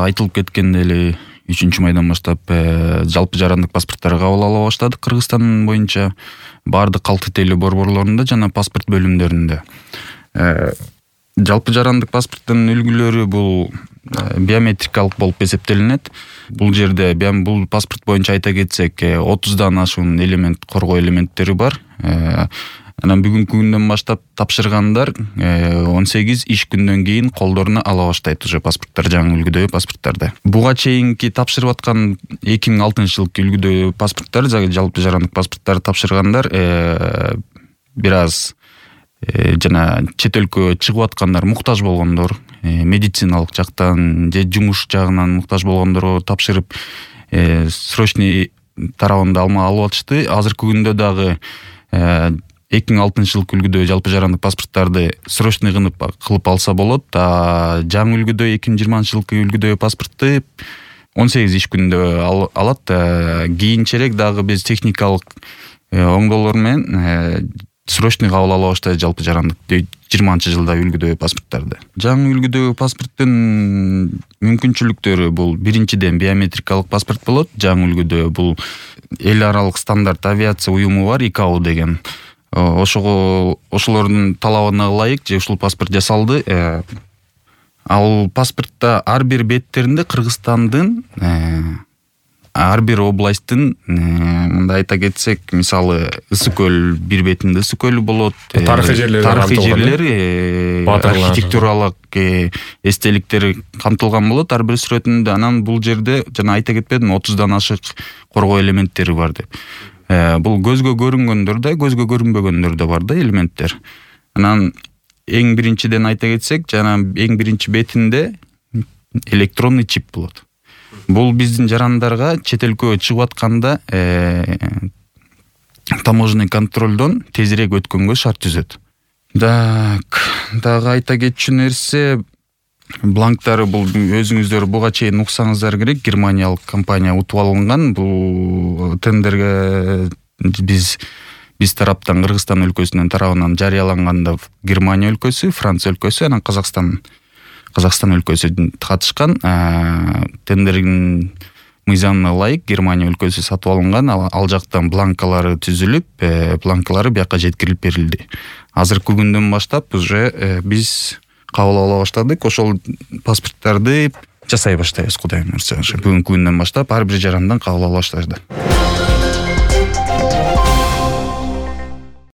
айтылып кеткендей эле 3-майдан баштап жалпы жарандык паспорттар кабыл ала баштадык Кыргызстан боюнча баардык калк тилдүү борборлорунда жана паспорт бөлүмдөрүндө. Жалпы жарандык паспорттун үлгүлөрү бул биометрикалык болуп эсептелинет. Бул жерде бул паспорт боюнча айта кетсек 30дан ашуун элемент, коргоо элементтери бар. Анан бүгүнкү күндөн баштап тапшыргандар 18 иш күндөн кийин колдоруна ала баштайт уже паспорттар, жаңы үлгүдөгү паспорттарды. Буга чейинки тапшырып аткан 2006-жылкы үлгүдөгү паспорттар, жалпы жарандык паспорттарды тапшыргандар бир аз жана чет өлкөгө чыгып аткандар, муктаж болгондор, медициналык жактан же жумуш жагынан муктаж болгондорго тапшырып срочный тарабында алып атышты. Азыркы күндө дагы 2006-жылкы үлгүдө жалпы жарандык паспорттарды срочный кылып алса болот. Жаңы үлгүдө 2020-жылкы үлгүдөгү паспортты 18 иш күндө алат. Кийинчерээк дагы биз техникалык оңдоолор менен срочный кабыл ала баштайбыз жалпы жарандык 20-жылда үлгүдөгү паспорттарды. Жаңы үлгүдөгү паспорттун мүмкүнчүлүктөрү бул биринчиден биометрикалык паспорт болот. Жаңы үлгүдө бул эл аралык стандарт авиация уюму бар, ICAO деген. Ошолордун талабына ылайык же ушул паспорт жасалды. Ал паспортто ар бир беттеринде Кыргызстандын ар бир областтын мындай айта кетсек, мисалы Ысык көл бир бетинде Ысык көл болот. Тарыхый жерлер, архитектуралык эстеликтер камтылган болот ар бир сүрөтүндө. Анан бул жерде жана айта кетпедим, 30дан ашык коргоо элементтери бар деп. Бул көзгө көрүнгөндөр да, көзгө көрүнбөгөндөр да бар да элементтер. Анан эң биринчиден айта кетсек, жана эң биринчи бетинде электронный чип болот. Бул биздин жарандарга чет өлкөгө чыгып атканда таможенный контролдон тезирээк өткөнгө шарт түзөт. Дагы айта кетчү нерсе, бланктары бул өзүңүздөр буга чейин уксаңыздар керек, германиялык компания утуп алынган. Бул тендерге биз тараптан, Кыргызстан өлкөсүнүн тарабынан жарыяланганда Германия өлкөсү, Франция өлкөсү, анан Казакстан өлкөсү катышкан. Тендердин мыйзамына ылайык Германия өлкөсү сатып алынган. Ал жактан бланкалары түзүлүп, бланкалары бияка жеткирилип берилди. Азыркы күндөн баштап уже биз кабыл ала баштадык. Ошол паспорттарды жасай баштайбыз, Кудайым буйрса. Бүгүнкү күндөн баштап ар бир жарандан кабыл ала баштады.